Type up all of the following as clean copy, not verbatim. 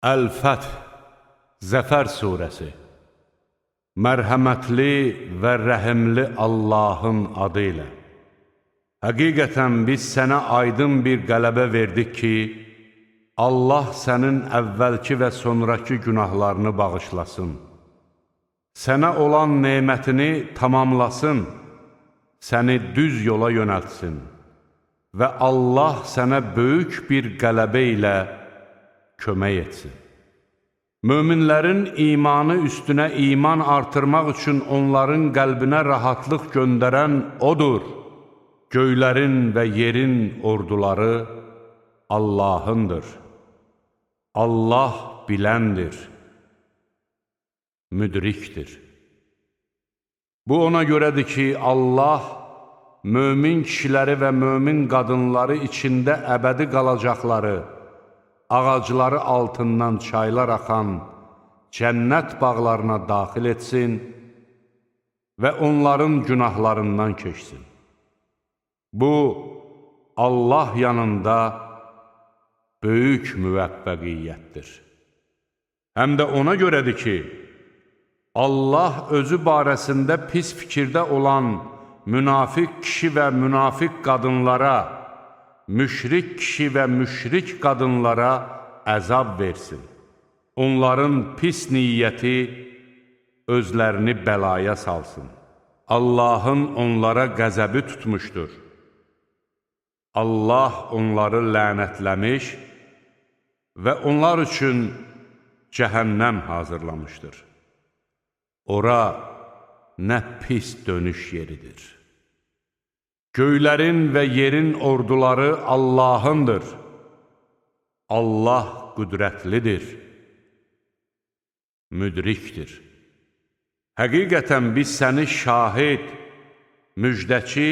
Əl-Fəth, Zəfər surəsi. Mərhəmətli və rəhimli Allahın adı ilə. Həqiqətən biz sənə aydın bir qələbə verdik ki, Allah sənin əvvəlki və sonraki günahlarını bağışlasın. Sənə olan nemətini tamamlasın, səni düz yola yönəltsin və Allah sənə böyük bir qələbə ilə kömək etsin. Möminlərin imanı üstünə iman artırmaq üçün onların qəlbinə rahatlıq göndərən odur. Göylərin və yerin orduları Allahındır. Allah biləndir, müdrikdir. Bu ona görədir ki, Allah mömin kişiləri və mömin qadınları içində əbədi qalacaqları, ağacları altından çaylar axan cənnət bağlarına daxil etsin və onların günahlarından keçsin. Bu, Allah yanında böyük müvəffəqiyyətdir. Həm də ona görədir ki, Allah özü barəsində pis fikirdə olan münafiq kişi və münafiq qadınlara, müşrik kişi və müşrik qadınlara əzab versin. Onların pis niyyəti özlərini bəlaya salsın. Allahın onlara qəzəbi tutmuşdur. Allah onları lənətləmiş və onlar üçün cəhənnəm hazırlamışdır. Ora nə pis dönüş yeridir. Göylərin və yerin orduları Allahındır. Allah qüdrətlidir, müdrikdir. Həqiqətən biz səni şahid, müjdəçi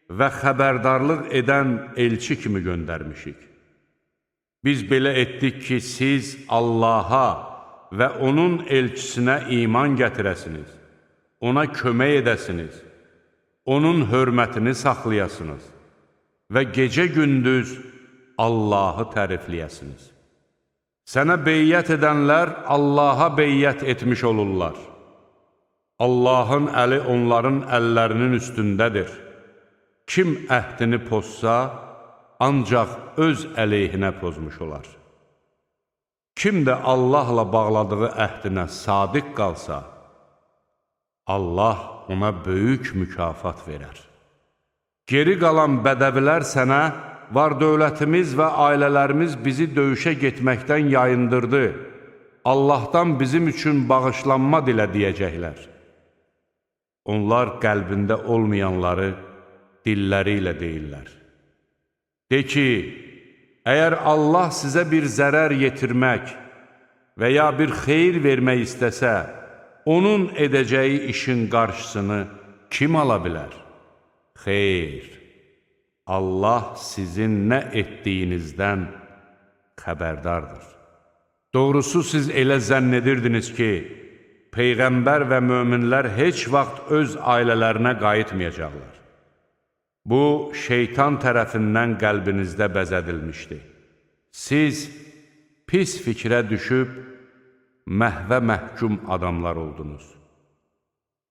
və xəbərdarlıq edən elçi kimi göndərmişik. Biz belə etdik ki, siz Allaha və onun elçisinə iman gətirəsiniz, ona kömək edəsiniz, onun hörmətini saxlayasınız və gecə-gündüz Allahı tərifləyəsiniz. Sənə beyyət edənlər Allaha beyyət etmiş olurlar. Allahın əli onların əllərinin üstündədir. Kim əhdini pozsa, ancaq öz əleyhinə pozmuş olar. Kim də Allahla bağladığı əhdinə sadiq qalsa, Allah ona böyük mükafat verər. Geri qalan bədəvilər sənə, var dövlətimiz və ailələrimiz bizi döyüşə getməkdən yayındırdı. Allahdan bizim üçün bağışlanma dilə deyəcəklər. Onlar qəlbində olmayanları dilləri ilə deyirlər. De ki, əgər Allah sizə bir zərər yetirmək və ya bir xeyir vermək istəsə, onun edəcəyi işin qarşısını kim ala bilər? Xeyr, Allah sizin nə etdiyinizdən xəbərdardır. Doğrusu siz elə zənn edirdiniz ki, Peyğəmbər və möminlər heç vaxt öz ailələrinə qayıtmayacaqlar. Bu, şeytan tərəfindən qəlbinizdə bəzədilmişdi. Siz pis fikrə düşüb, məhvə məhkum adamlar oldunuz.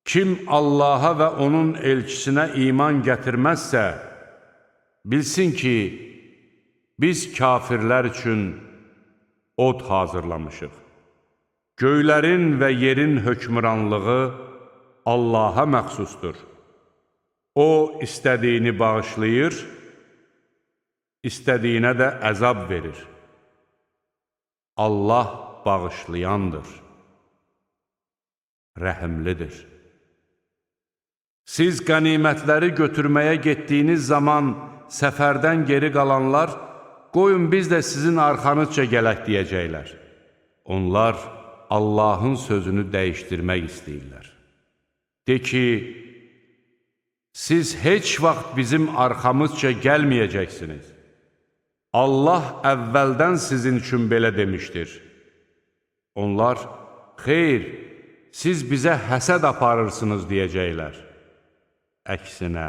Kim Allaha və onun elçisinə iman gətirməzsə, bilsin ki, biz kafirlər üçün od hazırlamışıq. Göylərin və yerin hökmranlığı Allaha məxsusdur. O, istədiyini bağışlayır, istədiyinə də əzab verir. Allah bağışlayandır, rəhimlidir. Siz qənimətləri götürməyə getdiyiniz zaman səfərdən geri qalanlar, qoyun biz də sizin arxanızca gələk deyəcəklər. Onlar Allahın sözünü dəyişdirmək istəyirlər. De ki, siz heç vaxt bizim arxamızca gəlməyəcəksiniz. Allah əvvəldən sizin üçün belə demişdir. Onlar, xeyr, siz bizə həsəd aparırsınız deyəcəklər. Əksinə,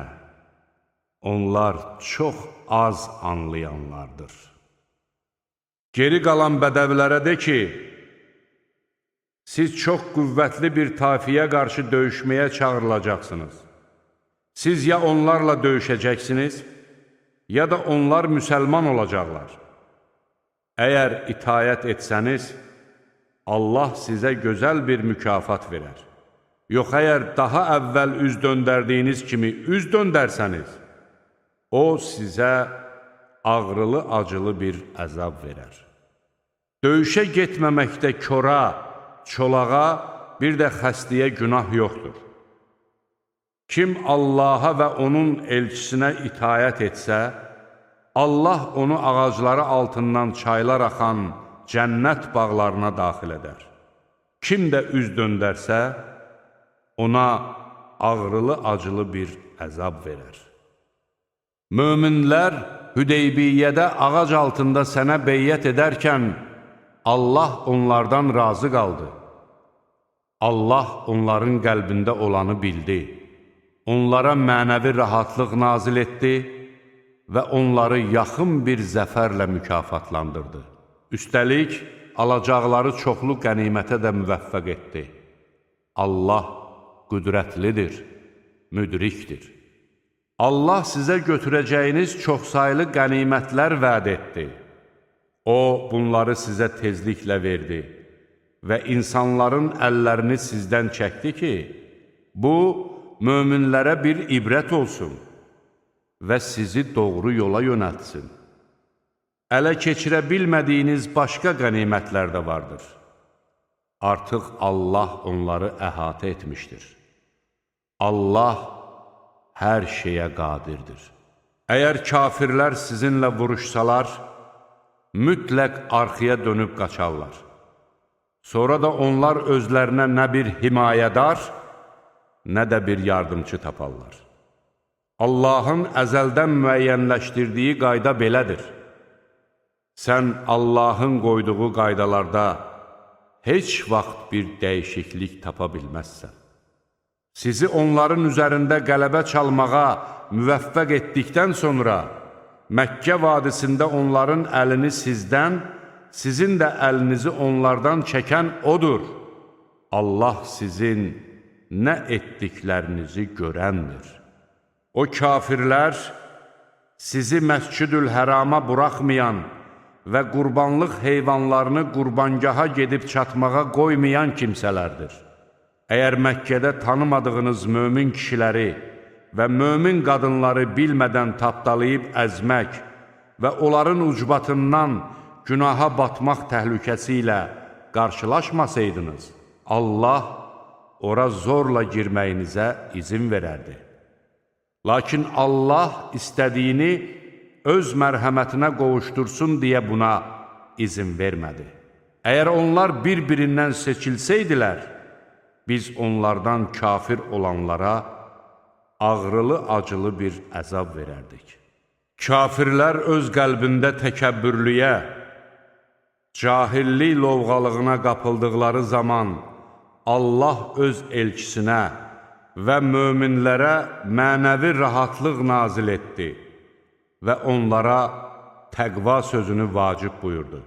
onlar çox az anlayanlardır. Geri qalan bədəvilərə de ki, siz çox qüvvətli bir tafiyə qarşı döyüşməyə çağırılacaqsınız. Siz ya onlarla döyüşəcəksiniz, ya da onlar müsəlman olacaqlar. Əgər itayət etsəniz, Allah sizə gözəl bir mükafat verər. Yox, əgər daha əvvəl üz döndərdiyiniz kimi üz döndərsəniz, o sizə ağrılı-acılı bir əzab verər. Döyüşə getməməkdə kora, çolağa, bir də xəstəyə günah yoxdur. Kim Allaha və onun elçisinə itayət etsə, Allah onu ağacları altından çaylar axan cənnət bağlarına daxil edər. Kim də üz döndərsə, ona ağrılı-acılı bir əzab verər. Möminlər Hüdeybiyyədə ağac altında sənə beyyət edərkən, Allah onlardan razı qaldı. Allah onların qəlbində olanı bildi. Onlara mənəvi rahatlıq nazil etdi və onları yaxın bir zəfərlə mükafatlandırdı. Üstəlik, alacaqları çoxlu qənimətə də müvəffəq etdi. Allah qüdrətlidir, müdrikdir. Allah sizə götürəcəyiniz çoxsaylı qənimətlər vəd etdi. O, bunları sizə tezliklə verdi və insanların əllərini sizdən çəkdi ki, bu, möminlərə bir ibrət olsun və sizi doğru yola yönəltsin. Ələ keçirə bilmədiyiniz başqa qənimətlər də vardır. Artıq Allah onları əhatə etmişdir. Allah hər şeyə qadirdir. Əgər kafirlər sizinlə vuruşsalar, mütləq arxaya dönüb qaçarlar. Sonra da onlar özlərinə nə bir himayədar, nə də bir yardımcı taparlar. Allahın əzəldən müəyyənləşdirdiyi qayda belədir. Sən Allahın qoyduğu qaydalarda heç vaxt bir dəyişiklik tapa bilməzsən. Sizi onların üzərində qələbə çalmağa müvəffəq etdikdən sonra, Məkkə vadisində onların əlini sizdən, sizin də əlinizi onlardan çəkən odur. Allah sizin nə etdiklərinizi görəndir. O kafirlər sizi Məscid-ül-Hərama buraxmayan və qurbanlıq heyvanlarını qurbangaha gedib çatmağa qoymayan kimsələrdir. Əgər Məkkədə tanımadığınız mömin kişiləri və mömin qadınları bilmədən tapdalayıb əzmək və onların ucbatından günaha batmaq təhlükəsi ilə qarşılaşmasaydınız, Allah ora zorla girməyinizə izin verərdi. Lakin Allah istədiyini öz mərhəmətinə qovuşdursun deyə buna izin vermədi. Əgər onlar bir-birindən seçilsəydilər, biz onlardan kafir olanlara ağrılı-acılı bir əzab verərdik. Kafirlər öz qəlbində təkəbbürlüyə, cahillik lovğalığına qapıldıqları zaman Allah öz elçisinə və möminlərə mənəvi rahatlıq nazil etdi və onlara təqva sözünü vacib buyurdu.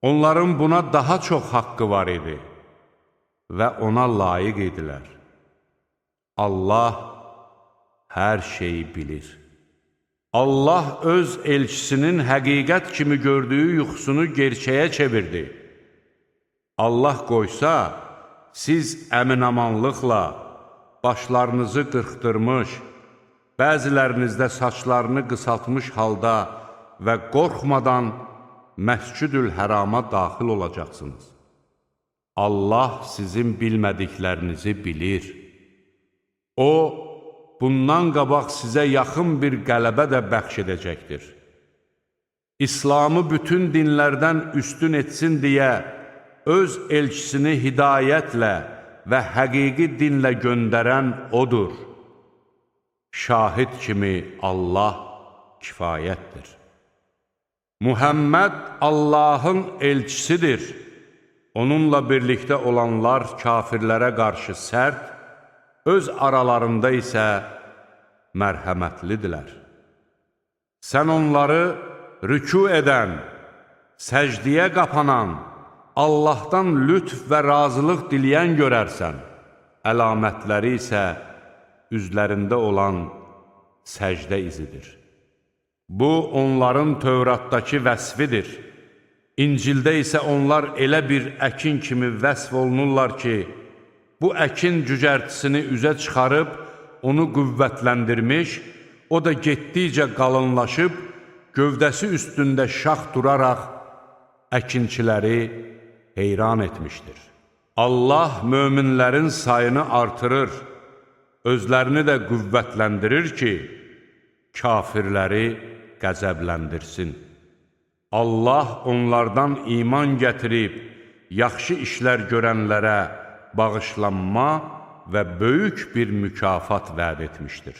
Onların buna daha çox haqqı var idi və ona layiq idilər. Allah hər şeyi bilir. Allah öz elçisinin həqiqət kimi gördüyü yuxusunu gerçəyə çevirdi. Allah qoysa, siz əmin-amanlıqla başlarınızı qırxdırmış, bəzilərinizdə saçlarını qısaltmış halda və qorxmadan Məscid-ül-Hərama daxil olacaqsınız. Allah sizin bilmədiklərinizi bilir. O, bundan qabaq sizə yaxın bir qələbə də bəxş edəcəkdir. İslamı bütün dinlərdən üstün etsin deyə öz elçisini hidayətlə və həqiqi dinlə göndərən odur. Şahid kimi Allah kifayətdir. Muhammed Allahın elçisidir. Onunla birlikdə olanlar kafirlərə qarşı sərt, öz aralarında isə mərhəmətlidirlər. Sən onları rükû edən, Səcdiyə qapanan, Allahdan lütf və razılıq diləyən görərsən. Əlamətləri isə üzlərində olan səcdə izidir. Bu, onların Tövratdakı vəsfidir. İncildə isə onlar elə bir əkin kimi vəsf olunurlar ki, bu əkin cücərtisini üzə çıxarıb, onu qüvvətləndirmiş, o da getdikcə qalınlaşıb, gövdəsi üstündə şax duraraq, əkinçiləri heyran etmişdir. Allah möminlərin sayını artırır, özlərini də qüvvətləndirir ki, kafirləri qəzəbləndirsin. Allah onlardan iman gətirib, yaxşı işlər görənlərə bağışlanma və böyük bir mükafat vəd etmişdir.